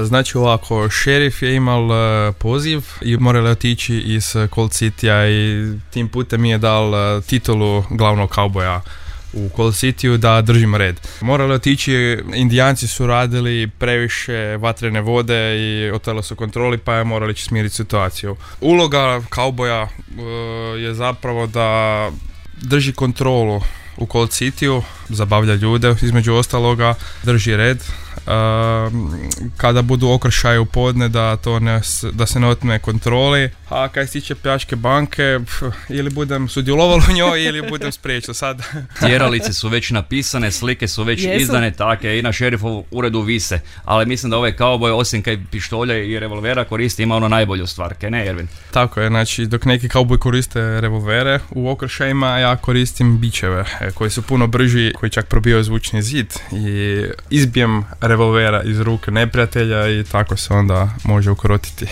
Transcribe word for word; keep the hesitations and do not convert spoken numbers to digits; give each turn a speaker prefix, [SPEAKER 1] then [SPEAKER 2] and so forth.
[SPEAKER 1] Znači ovako, šerif je imal uh, poziv i morali otići iz Cold Citya i tim putem mi je dal uh, titulu glavnog kauboja u Cold Cityu da držim red. Morali otići, Indijanci su radili previše vatrene vode i otele su kontroli, pa je morali će smiriti situaciju. Uloga kauboja uh, je zapravo da drži kontrolu u Cold Cityu, zabavlja ljude, između ostaloga drži red. Uh, kada budu okršaje u podne da, to ne, da se ne otme kontroli, a kaj se tiče pljačke banke, pf, ili budem sudjelovalo u njoj ili budem spriječio sad.
[SPEAKER 2] Tjeralice su već napisane, slike su već Jesu. izdane, take i na šerifovu uredu vise, ali mislim da ovaj kauboj osim kaj pištolja i revolvera koristi ima ono najbolju stvar, kaj ne Ervin?
[SPEAKER 1] Tako je, znači dok neki kauboj koriste revolvere u okršajima, ja koristim bičeve koji su puno brži, koji čak probijaju zvučni zid i izbijem revolvera iz ruke neprijatelja i tako se onda može ukrotiti.